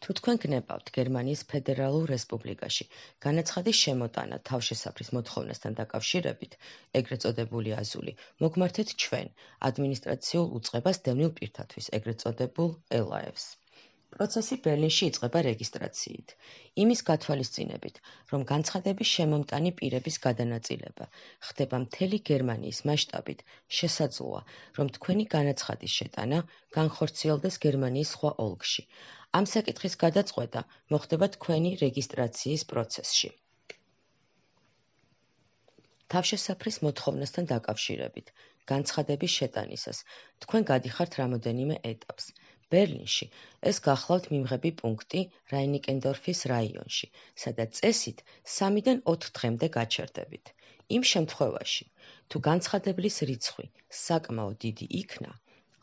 თუ თქვენ გნებავთ გერმანიის ფედერალურ რესპუბლიკაში განაცხადის შემოტანა თავშესაფრის მოთხოვნასთან დაკავშირებით, ეგრეთ წოდებული აზული, მოგმართეთ ჩვენ, ადმინისტრაციულ უწყებას დევნილ პირთათვის, ეგრეთ წოდებულ ელაევს. პროცესი ბერლინში იწყება რეგისტრაციით, იმის გათვალისწინებით, რომ განცხადების შემომტანი პირების გადანაწილება ხდება მთელი გერმანიის მასშტაბით, შესაძლოა, რომ თქვენი განაცხადის შეტანა განხორციელდეს გერმანიის სხვა ოლქში. ამ საკითხის გადაწყვეტა მოხდება თქვენი რეგისტრაციის პროცესში. თავშესაფრის მოთხოვნასთან დაკავშირებით, განცხადების შეტანისას, თქვენ გადიხართ რამოდენიმე ეტაპს. ბერლინში ეს გახლავთ მიმღები პუნქტი რაინიკენდორფის რაიონში, სადაც წესით 3-დან 4 დღემდე გაჩერდებით. იმ შემთხვევაში, თუ განცხადებლის რიცხვი საკმაოდ დიდი იქნა,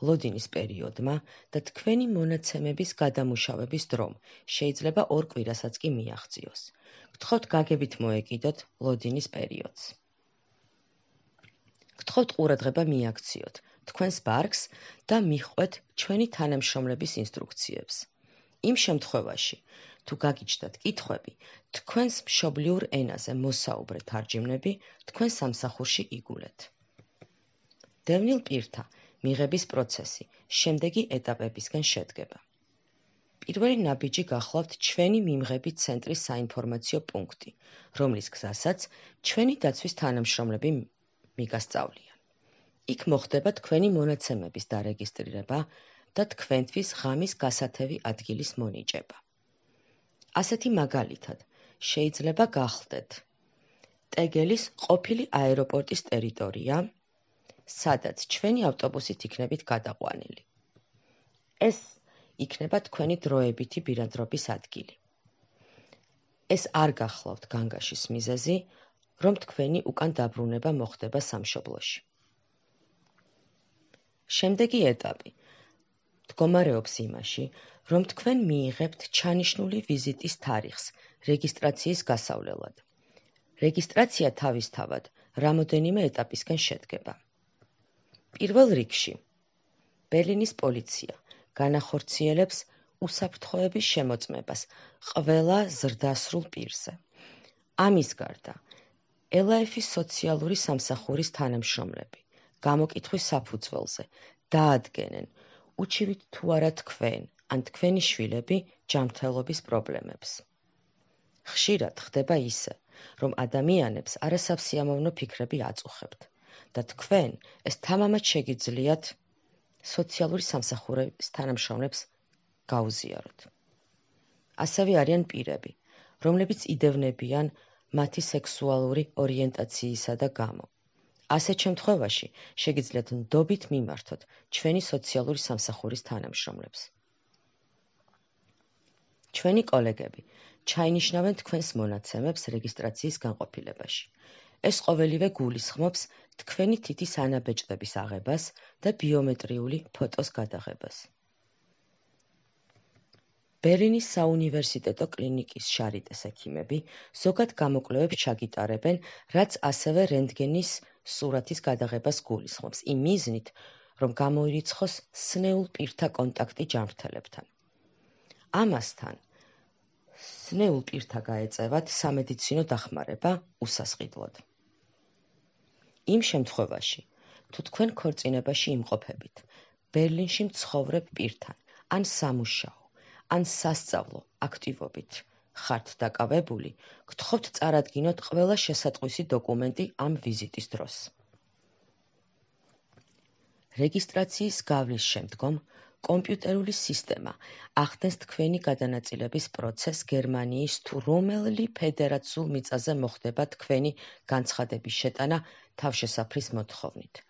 ლოდინის პერიოდმა და თქვენი მონაცემების გადამუშავების დრომ შეიძლება 2 კვირასაც კი მიაღწიოს. გთხოვთ გაგებით მოეკიდოთ ლოდინის პერიოდს. გთხოვთ ყურადღება მიაქციოთ თქვენს ბარგს და მიჰყვეთ ჩვენი თანამშრომლების ინსტრუქციებს. იმ შემთხვევაში, თუ გაგიჩნდათ კითხვები, თქვენს მშობლიურ ენაზე მოსაუბრე თარჯიმნები თქვენ სამსახურში იგულეთ. დევნილ პირთა მიღების პროცესი შემდეგი ეტაპებისგან შედგება. პირველი ნაბიჯი გახლავთ ჩვენი მიმღები ცენტრის საინფორმაციო პუნქტი, რომლის გზასაც ჩვენი დაცვის თანამშრომლები მიგასწავლიან. იქ მოხდება თქვენი მონაცემების დარეგისტრირება და თქვენთვის ღამის გასათევი ადგილის მონიჭება. ასეთი მაგალითად, შეიძლება გახლდეთ ტეგელის ყოფილი აეროპორტის ტერიტორია, სადაც ჩვენი ავტობუსით იქნებით გადაყვანილი. ეს იქნება თქვენი დროებითი ბინადრობის ადგილი. ეს არ გახლავთ განგაშის მიზეზი, რომ თქვენი უკან დაბრუნება მოხდება სამშობლოში. შემდეგი ეტაპი მდგომარეობს იმაში, რომ თქვენ მიიღებთ ჩანიშნული ვიზიტის თარიღს რეგისტრაციის გასავლელად. რეგისტრაცია თავისთავად რამოდენიმე ეტაპისგან შედგება. პირველ რიგში, ბერლინის პოლიცია განახორციელებს უსაფრთხოების შემოწმებას ყველა ზრდასრულ პირზე. ამის გარდა, ელაეფის სოციალური სამსახურის თანამშრომლები გამოკითხვის საფუძველზე დაადგენენ, უჩივით თუ არა თქვენ ან თქვენი შვილები ჯანმრთელობის პრობლემებს. ხშირად ხდება ისე, რომ ადამიანებს არასასიამოვნო ფიქრები აწუხებთ და თქვენ ეს თამამად შეგიძლიათ სოციალური სამსახურის თანამშრომლებს გაუზიაროთ. ასევე არიან პირები, რომლებიც იდევნებიან მათი სექსუალური ორიენტაციისა და გამო. ასეთ შემთხვევაში შეგიძლიათ ნდობით მიმართოთ ჩვენი სოციალური სამსახურის თანამშრომლებს. ჩვენი კოლეგები ჩაინიშნავენ თქვენს მონაცემებს რეგისტრაციის განყოფილებაში. ეს ყოველივე გულისხმობს თქვენი თითის ანაბეჭდების აღებას და ბიომეტრიული ფოტოს გადაღებას. ბერლინის საუნივერსიტეტო კლინიკის შარიტეს ექიმები ზოგად გამოკვლევებს ჩაგიტარებენ, რაც ასევე რენტგენის სურათის გადაღებას გულისხმობს, იმ მიზნით, რომ გამოირიცხოს სნეულ პირთა კონტაქტი ჯანმრთელებთან. ამასთან, სნეულ პირთა გაეწევათ სამედიცინო დახმარება უსასყიდლოდ. იმ შემთხვევაში, თუ თქვენ ქორწინებაში იმყოფებით, ბერლინში მცხოვრებ პირთან, ან სამუშაო, ან სასწავლო აქტივობით ხართ დაკავებული, გთხოვთ წარადგინოთ ყველა შესატყვისი დოკუმენტი ამ ვიზიტის დროს. რეგისტრაციის გავლის შემდგომ კომპიუტერული სისტემა ახდენს თქვენი გადანაწილების პროცესს გერმანიის თუ რომელი ფედერაციულ მიწაზე მოხდება თქვენი განცხადების შეტანა თავშესაფრის მოთხოვნით.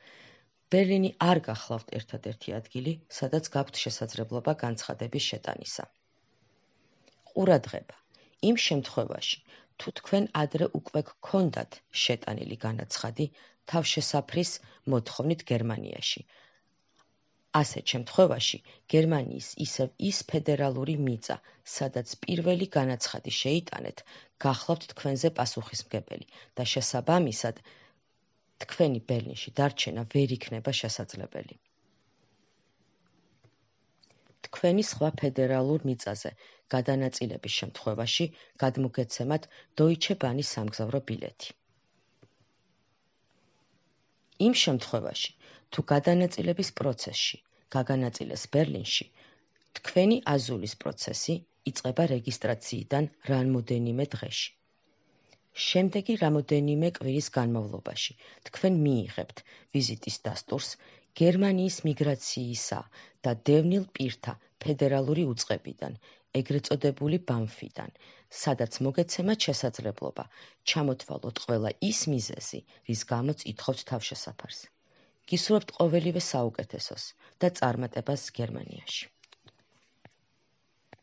ბერლინი არ გახლავთ ერთადერთი ადგილი, სადაც გაქვთ შესაძლებლობა განცხადების შეტანისა. ყურადღება, იმ შემთხვევაში, თუ თქვენ ადრე უკვე გქონდათ შეტანილი განაცხადი თავშესაფრის მოთხოვნით გერმანიაში. ასეთ შემთხვევაში, გერმანიის ისევ ის ფედერალური მიწა, სადაც პირველი განაცხადი შეიტანეთ, გახლავთ თქვენზე პასუხისმგებელი და შესაბამისად, თქვენი ბერლინში დარჩენა ვერ იქნება შესაძლებელი. თქვენი სხვა ფედერალურ მიწაზე გადანაწილების შემთხვევაში გადმოგეცემათ Deutsche Bahn-ის სამგზავრო ბილეთი. იმ შემთხვევაში, თუ გადანაწილების პროცესში გაგანაწილეს ბერლინში, თქვენი აზულის პროცესი იწყება რეგისტრაციიდან რამოდენიმე დღეში. შემდეგი რამოდენიმე კვირის განმავლობაში თქვენ მიიღებთ ვიზიტის დასტურს გერმანიის მიგრაციისა და დევნილ პირთა ფედერალური უწყებიდან, ეგრეთ წოდებული BAMF-დან, სადაც მოგეცემათ შესაძლებლობა ჩამოთვალოთ ყველა ის მიზეზი, რის გამოც ითხოვთ თავშესაფარს. გისურვებთ ყოველივე საუკეთესოს და წარმატებას გერმანიაში.